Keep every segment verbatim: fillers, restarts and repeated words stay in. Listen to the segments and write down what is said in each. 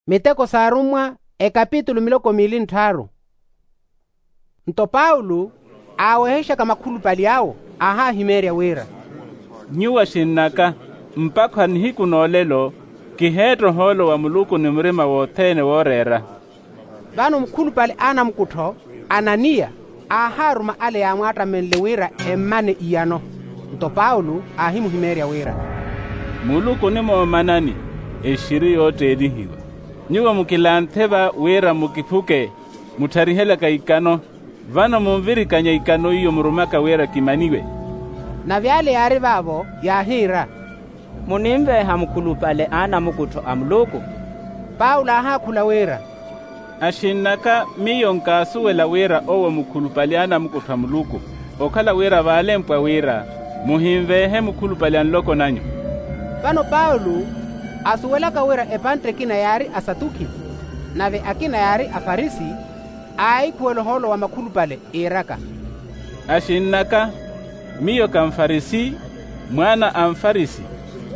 Miteko s'arummwa, ekapitulu miloko miili nttharu. Nto paulo aawehexaka makhulupale awo, aahahimeerya wira, nyuwo axinn'aka, mpakha nihiku n'olelo kiheetta ohoolo wa muluku ni murima wothene wooreera. Vano mukhulupale a anamukuttho, ananiya, aahaaruma ale yaamwaattamenle wira emmane iyano. Nto paulo aahimuhimeerya wira, muluku onimoomanani exiri yootteelihiwa. Nyuwo mukilanthe va wira mukiphuke, muttharihelaka ikano. Vano munvirikanya ikano iyo murumaka wira kimaniwe. Nave ale yaari vaavo yaahiira, muninveeha mukhulupale a anamukuttho a muluku? Paulo aahaakhula wira, axinn'aka, miyo nkaasuwela wira owo mukhulupale a anamukuttho a muluku, okhala wira vaalempwa wira, muhinveehe mukhulupale a nloko nanyu. Vano paulo, asuwelaka wira epantte ekina yaari asatukhi, nave akina yaari afarisi, aahikhuwela ohoolo wa makhulupale, iiraka, axinn'aka, miyo ka mufarisi, mwaana a mufarisi,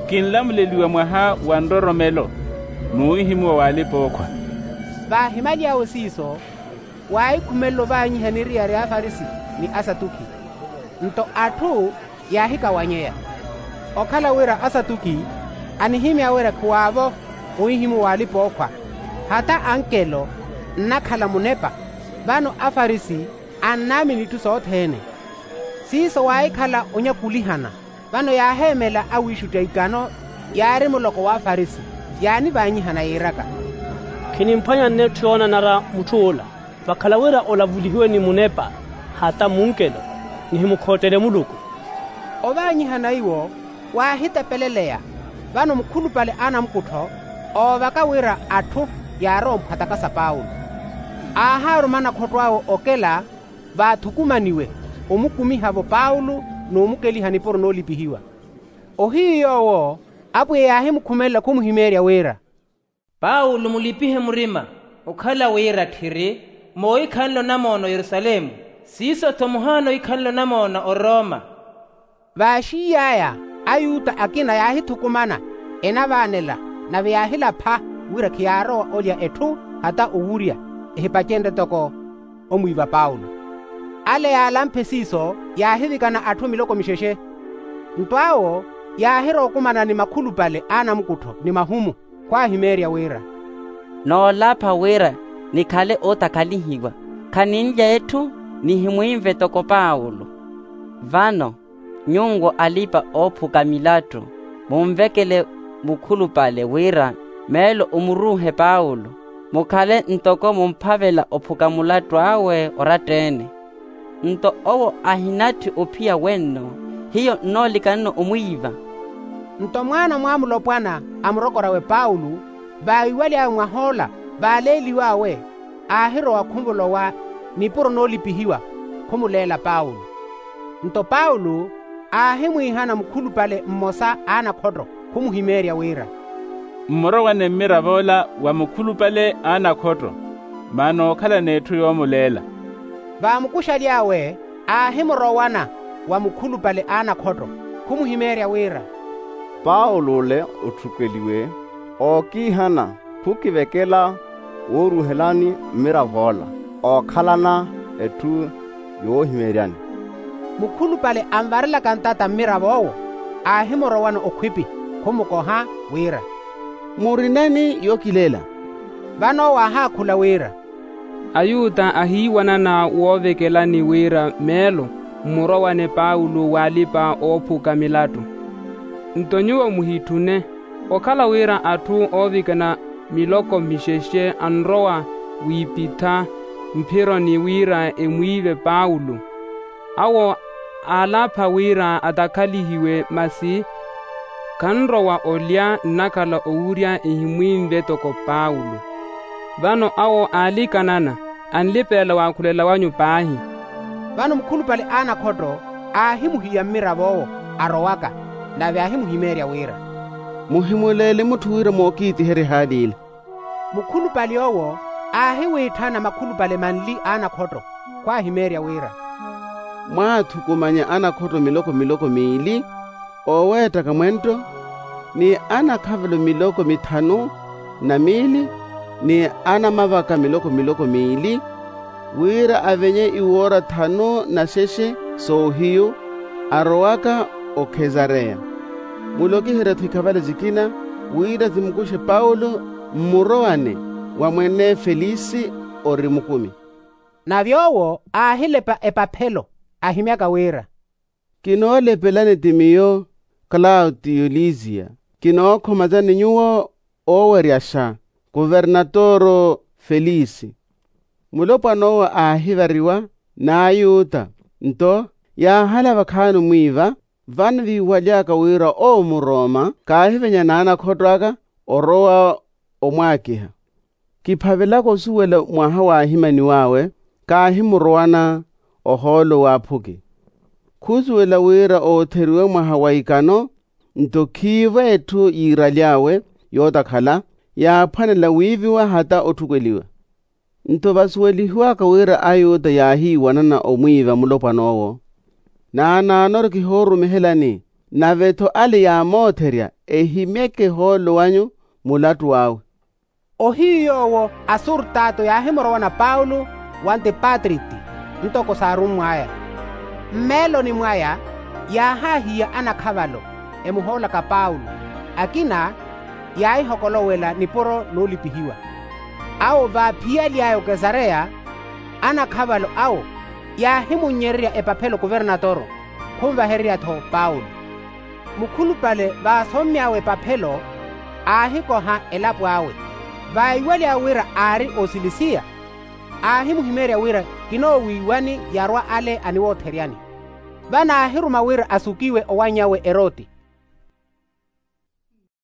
kinlamuleliwa mwaha wa nroromelo, n'uhihimuwa w'alipa-ookhwa. Vaahimaly'awe siiso, waahikhumelela ovaanyiha niriyari a afarisi ni asatukhi. Nto atthu yaahikawanyeya, okhala wira asatukhi anihimya wira khiwaavo ohihimuwa w'alipa-ookhwa, hata ankelo nnakhala munepa, vano afarisi annaamini itthu sothene. Siiso waahikhala onyakulihana. Vano yaaheemela awiixutta ikano yaari muloko w'afarisi, yaanivaanyihana yiiraka, khinimphwanya nnetthu yoonanara mutth'ula, vakhala wira olavulihiwe ni munepa, hata munkelo, nihimukhottele muluku. Ovaanyihana iwo waahitepeleleya. Vano mukhulupale a anamukuttho oovaka wira atthu yaarowa omphwatakasa paulo, aahaaruma anakhotto awe okela vaathukumaniwe, omukumiha-vo paulo n'omukeliha nipuro noolipihiwa. Ohiyu yoowo apwiya yaahimukhumelela khumuhimeerya wira, paulo mulipihe murima, okhala wira tthiri moohikhanle onamoona oyerusalemu, siiso-tho muhaana ohikhanle onamoona oroma. Vaaxiiy'aya ayuta akina yaahithukumana enavaanela, nave yaahilapha wira khiyaarowa olya etthu hata owurya, ehipacenrye toko omwiiva paulo. Ale yaalamphe siiso yaahivikana atthu miloko mixexe. Nto awo yaahirowa okumana ni makhulupale a anamukuttho ni mahumu, khwaahimeerya wira, noolapha wira nikhale ootakalihiwa, khaninlya etthu nihimwiive toko paulo. Vano nyuwo alipa-oophuka milattu, munvekele mukhulupale wira meelo omuruuhe paulo, mukhale ntoko mumphavela ophuka mulattu awe oratta-ene. Nto owo ahinatthi ophiya wenno, hiyo nnoolikanano omwiiva. Nto mwaana mwamulopwana a murokor'awe paulo, vaawiwaly'awe mwah'ola vaaleeliw'awe, aahirowa khumulowa nipuro noolipihiwa, khumuleela paulo. Nto paulo aahimwiihana mukhulupale mmosa a anakhotto khumuhimeerya wira, mmurowane mmirav'ola wa mukhulupale a anakhotto, maana ookhalana etthu yoomuleela. Vaamukuxaly'awe aahimurowana wa mukhulupale a anakhotto khumuhimeerya wira, paulo ole otthukeliwe ookiihana khukivekela wooruuhelani mmirav'ola ookhalana etthu yoohimeeryani. Mukhulupale anvarelaka ntata mmirav'owo aahimurowana okhwipi khumukoha wira, murineni yookileela? Vano owo aahaakhula wira, ayuta ahiiwanana woovekelani wira meelo mmurowane paulo w'alipa-oophuka milattu. Nto nyuwo muhitthune, okhala wira atthu oovikana miloko mixexe anrowa wiipitha mphironi wira emwiive paulo. Awo aalapha wira atakhalihiwe, masi khanrowa olya nnakhala owurya ehimwiive toko paulo. Vano awo aalikanana anlipelela waakhulela wanyu paahi. Vano mukhulupale a anakhotto aahimuhiya mmirav'owo arowaka, nave aahimuhimeerya wira, muhimuleele mutthu wira mookiitiherye ehaali ila. Mukhulupale owo aahiwiitthana makhulupale manli a anakhotto khwaahimeerya wira, mwaathukumanya anakhotto miloko miloko miili ooweettaka mwentto, ni anakhavelo miloko mithanu na miili ni anamavaka miloko miloko miili, wira avenye iwoora thanu na xexe soohiyu, arowaka okhesareya. Mulokiherye-tho ikhavala sikina, wira simukuxe paulo mmurowane wa mwene felisi, ori mukumi. Nave owo aahilepa epaphelo, ahimyaka wira, kinoolepelani ti miyo, klautiyo lisiya, kinookhomazani nyuwo ooweryaxa, kuvernatoro felisi. Mulopwan'owo aahivariwa n'ayuta, nto yaahala vakhaani omwiiva, vano viiwaly'aka wira owo muroma kaahivenya n'anakhotto aka, orowa omwaakiha. Kiphavelaka osuwela mwaha waahimaniw'awe, kaahimurowana ohoolo w'aphuki. Khusuwela wira ootheriwe mwaha wa ikano, nto khiivo etthu yiiraly'awe yootakhala, yaaphwanela wiiviwa hata otthukweliwa. Nto vasuwelihiwaka wira ayuta yaahiiwanana omwiiva mulopwan'owo, naanaanoru kihoorumihelani, nave-tho ale yaamootherya ehimyeke ohoolo wanyu mulattu awe. Ohiyu yoowo asurtato yaahimurowana paulo wa antipatriti, ntoko saarummw'aya. Mmeeloni mwaya, yaahaahiya anakhavalo emuhoolaka paulo, akina yaahihokolowela nipuro noolipihiwa. Awo vaaphiyaly'aya okesareya, anakhavalo awo yaahimunnyererya epaphelo kuvernatoro, khunvahererya-tho paulo. Mukhulupale vaasommy'awe epaphelo, aahikoha elapo awe. Vaiwaly'awe wira aari osilisiya, aahimuhimeerya wira kinoowiiwani yarwa ale aniwoottheryani. Vano aahiruma wira asukiwe owanny'awe eroti.